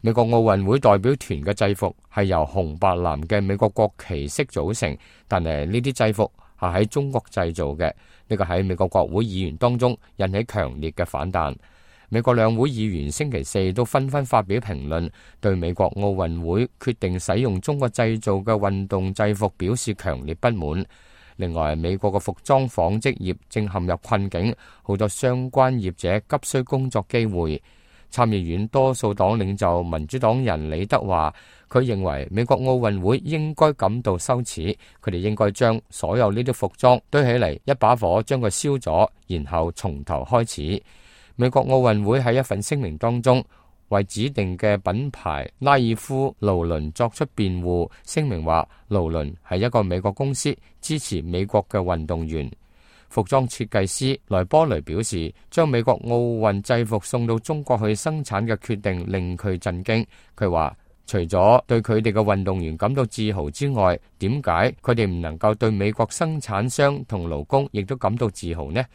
美國奧運會代表團嘅制服係由紅白藍嘅美國國旗色組成，但係呢啲制服係喺中國製造嘅，呢個喺美國國會議員當中引起強烈嘅反彈。美國兩會議員星期四都紛紛發表評論，對美國奧運會決定使用中國製造嘅運動制服表示強烈不滿。另外，美國嘅服裝紡織業正陷入困境，好多相關業者急需工作機會。參議院多數黨領袖民主黨人李德話，佢認為美國奧運會應該感到羞恥，佢哋應該將所有呢啲服裝堆起嚟，一把火將佢燒咗，然後從頭開始。美國奧運會喺一份聲明當中為指定嘅品牌拉爾夫勞倫作出辯護，聲明話勞倫係一個美國公司，支持美國嘅運動員。服裝設計師萊波雷表示，將美國奧運制服送到中國去生產嘅決定令佢震驚。佢話，除咗對佢哋嘅運動員感到自豪之外，點解佢哋唔能夠對美國生產商同勞工亦都感到自豪呢？